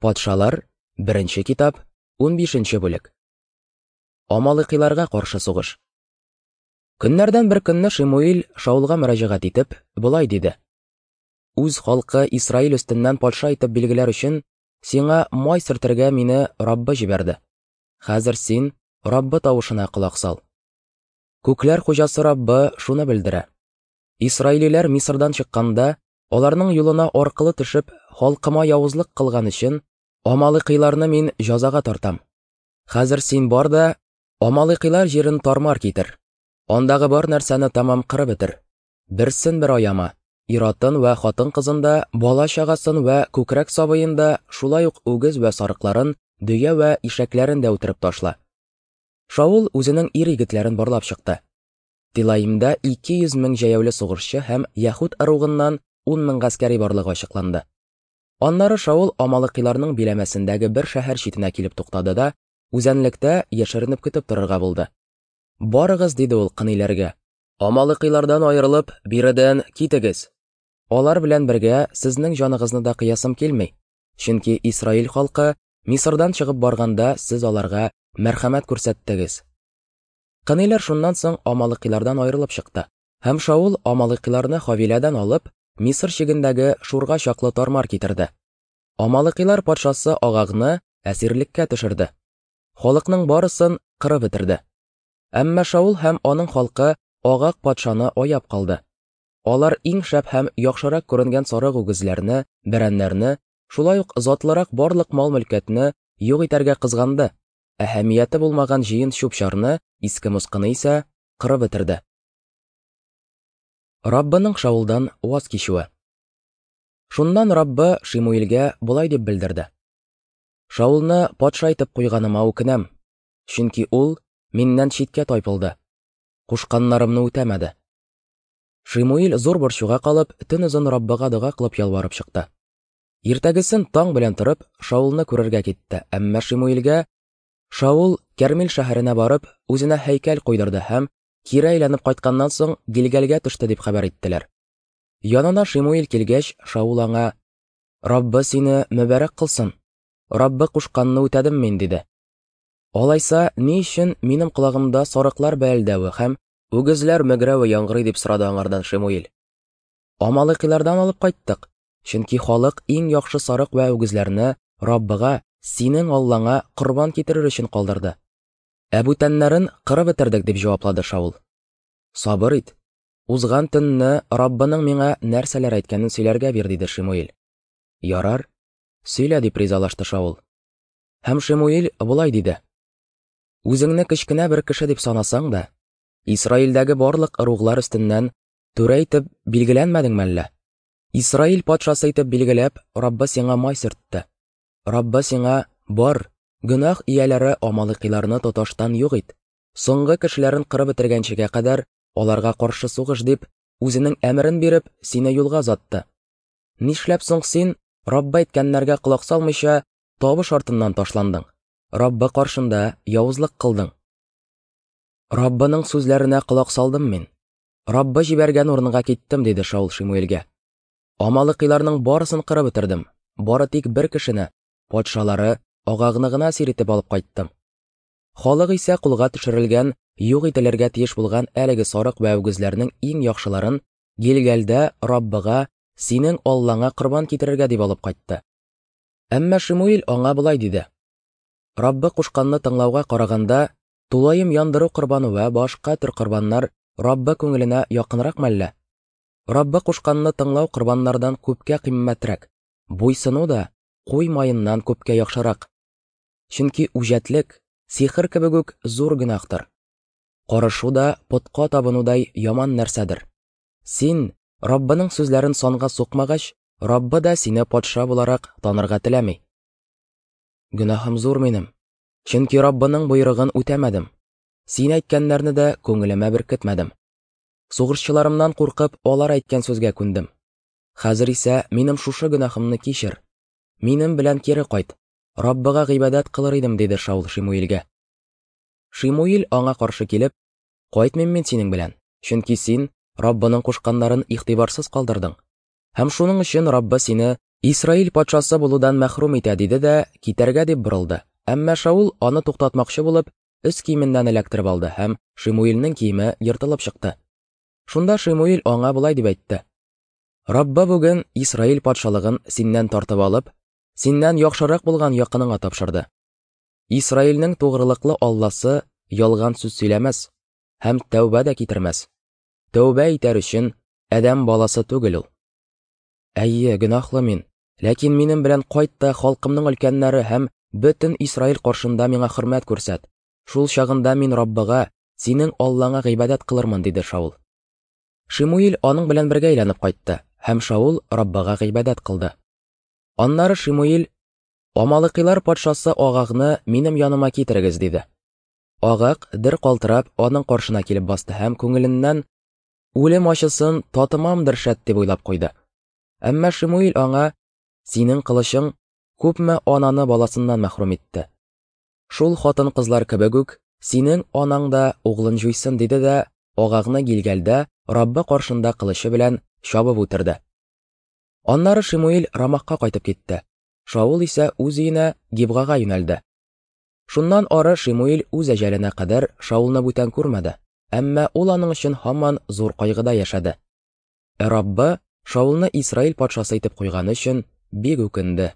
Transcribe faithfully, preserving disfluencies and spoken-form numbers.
Патшалар, беренче китап, унбишенче бүлек. Амалыкиларга каршы сугыш. Көннәрдән бер көнне Шимуил Шаулга мөрәҗәгать итеп, болай диде: Үз халкы Исраил өстеннән патша итеп билгеләр өчен сиңа май сөртергә мине Раббы җибәрде. Хәзер син Раббы тавышына колак сал. Күкләр хуҗасы Раббы шуны белдерә: Исраилиләр Мисырдан чыкканда, аларның юлына аркылы төшеп, халкыма явызлык кылган өчен Амалыкиларны мин җәзага тартам. Хәзер син бар да Амалыкилар җирен тармар китер. Андагы бар нәрсәне тәмам кырып бетер. Берсен бер аяма, ир-атын вә хатын-кызын да, бала-чагасын вә күкрәк сабыен да, шулай ук үгез вә сарыкларын, дөя вә ишәкләрен дә үтереп ташла. Шаул үзенең ир-егетләрен барлап чыкты. Тилаимда ике йөз мең җәяүле сугышчы һәм Яһүд ыругыннан ун мең гаскәри барлыгы ачыкланды. Аннары Шаул Амалыкиларның биләмәсендәге бер шәһәр читенә килеп туктады да, үзәнлектә яшеренеп көтеп торырга булды. Барыгыз, диде ул кыниләргә, Амалыкилардан аерылып, биредән китегез. Алар белән бергә сезнең җаныгызны да кыясым килми, чөнки Исраил халкы Мисырдан чыгып барганда сез аларга мәрхәмәт күрсәттегез. Кыниләр шуннан соң Амалыкилардан аерылып чыкты. Һәм Шаул Амалыкиларны Хавиләдән алып, Мисыр чигендәге Шурга чаклы тармар китерде. Амалыкилар патшасы Агагны әсирлеккә төшерде. Халыкның барысын кырып бетерде. Әмма Шаул һәм аның халкы Агаг патшаны аяп калды. Алар иң шәп һәм яхшырак күренгән сарык үгезләрне, бәрәннәрне, шулай ук затлырак барлык мал-мөлкәтне юк итәргә кызганды. Әһәмияте булмаган җыен чүп-чарны, иске москыны исә кырып бетерде. Раббының Шаулдан ваз кичүе. Шуннан Раббы Шимуилгә болай дип белдерде: Шаулны патша итеп куйганыма үкенәм, чөнки ул миннән читкә тайпылды, кушканнарымны үтәмәде. Шимуил зур борчуга калып, төн озын Раббыга дога кылып ялварып чыкты. Иртәгесен таң белән торып, Шаулны күрергә китте, әмма Шимуилгә Шаул Кәрмил шәһәренә барып, үзенә һәйкәл куйдырды һәм кире әйләнеп кайтканнан соң Гилгалгә төште дип хәбәр иттеләр. Янына Шимуил килгәч, Шаул аңа: Раббы сине мөбарәк кылсын, Раббы кушканны үтәдем мин, диде. Алайса, ни өчен минем колагымда сарыклар бәэлдәве һәм үгезләр мөгрәве яңгырый, дип сорады аңардан Шимуил. Амалыкилардан алып кайттык, чөнки халык иң яхшы сарык вә үгезләрне Раббыга, синең Аллаңа корбан китерер өчен калдырды. Ә бүтәннәрен кырып бетердек, дип җаваплады Шаул. Сабыр ит, узган төнне Раббының миңа нәрсәләр әйткәнен сөйләргә бир, диде Шимуил. Ярар, сөйлә, дип ризалашты Шаул. Һәм Шимуил болай диде: Үзеңне кечкенә бер кеше дип санасаң да, Исраилдәге барлык ыруглар өстеннән түрә итеп билгеләнмәдеңме әллә? Исраил патшасы итеп билгеләп, Раббы сиңа май сөртте. Раббы сиңа: бар, гөнаһ ияләре Амалыкиларны тоташтан юк ит, соңгы кешеләрен кырып бетергәнчегә кадәр аларга каршы сугыш, дип, үзенең әмерен биреп, сине юлга озатты. Нишләп соң син, Раббы әйткәннәргә колак салмыйча, табыш артыннан ташландың, Раббы каршында явызлык кылдың? Раббының сүзләренә колак салдым мин. Раббы җибәргән урынга киттем, диде Шаул Шимуилгә. Амалыкиларның барысын кырып бетердем, бары тик бер кешене, патшалары Агагны гына әсир итеп алып кайттым. Халык исә кулга төшерелгән, юк ителергә тиеш булган әлеге сарык вә үгезләрнең иң яхшыларын Гилгалдә Раббыга, синең Аллаңа корбан китерергә дип алып кайтты. Әмма Шимуил аңа болай диде: Раббы кушканны тыңлауга караганда, тулаем яндыру корбаны вә башка төр корбаннар Раббы күңеленә якынрак мәллә? Раббы кушканны тыңлау корбаннардан күпкә кыйммәтрәк, буйсыну да куй маеннан күпкә яхшырак. Чөнки үҗәтлек сихер кебек үк зур гөнаһтыр. Карышу да потка табынудай яман нәрсәдер. Син Раббының сүзләрен санга сукмагач, Раббы да сине патша буларак танырга теләми. Гөнаһым зур минем, чөнки Раббының боерыгын үтәмәдем. Син әйткәннәрне дә күңелемә беркетмәдем. Сугышчыларымнан куркып, алар әйткән сүзгә күндем. Хәзер исә минем шушы гөнаһымны кичер. Минем белән кире кайт, Раббыга гыйбадәт кылыр идем, диде Шаул Шимуилгә. Шимуил аңа каршы килеп: Кайтмыйм мин синең белән, чөнки син Раббының кушканнарын игътибарсыз калдырдың. Һәм шуның өчен Раббы сине Исраил патшасы булудан мәхрүм итә, диде дә китәргә дип борылды. Әмма Шаул аны туктатмакчы булып, өс киеменнән эләктереп алды һәм Шимуилнең киеме ертылып чыкты. Шунда Шимуил аңа болай дип әйтте: Раббы бүген Исраил патшалыгын синнән тартып алып, синнән яхшырак булган якыныңа тапшырды. Исраилнең тугрылыклы Алласы ялган сүз сөйләмәс һәм тәүбә дә китермәс. Тәүбә итәр өчен адәм баласы түгел ул. Әйе, гөнаһлы мин, ләкин минем белән кайт та халкымның өлкәннәре һәм бөтен Исраил каршында миңа хөрмәт күрсәт. Шул чагында мин Раббыга, синең Аллаңа гыйбадәт кылырмын, диде Шаул. Шимуил аның белән бергә әйләнеп кайтты, һәм Шаул Раббыга гыйбадәт кылды. Аннары Шимуил: Амалыкилар патшасы Агагны минем яныма китерегез, диде. Агаг дер калтырап аның каршына килеп басты һәм күңеленнән үлем ачысын татымамдыр шәт дип уйлап куйды. Әмма Шимуил аңа: Синең кылычың күпме ананы баласыннан мәхрүм итте. Шул хатын-кызлар кебек үк синең анаң да углын җуйсын, диде дә Агагны Гилгалдә Раббы каршында кылычы белән чабып үтерде. Аннары Шимуил Рамахка кайтып китте. Шаул исә үз өенә Гибгага юнәлде. Шуннан ары Шимуил үз әҗәленә кадәр Шаулны бүтән күрмәде, әмма ул аның өчен һаман зур кайгыда яшәде. Ә Раббы Шаулны Исраил патшасы итеп куйганы өчен бик үкенде.